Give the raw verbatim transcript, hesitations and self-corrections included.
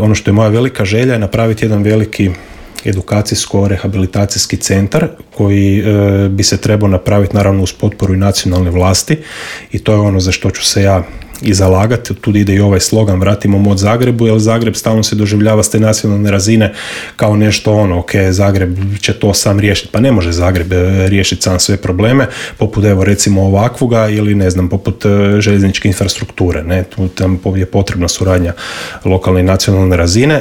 Ono što je moja velika želja je napraviti jedan veliki edukacijsko-rehabilitacijski centar koji e, bi se trebao napraviti naravno uz potporu i nacionalne vlasti i to je ono za što ću se ja i zalagati. Tu ide i ovaj slogan vratimo mod Zagrebu, jer Zagreb stalno se doživljava s te nacionalne razine kao nešto ono, ok, Zagreb će to sam riješiti. Pa ne može Zagreb riješiti sam sve probleme, poput evo recimo ovakvoga ili ne znam, poput željezničke infrastrukture. Ne? Tu tam je potrebna suradnja lokalne i nacionalne razine,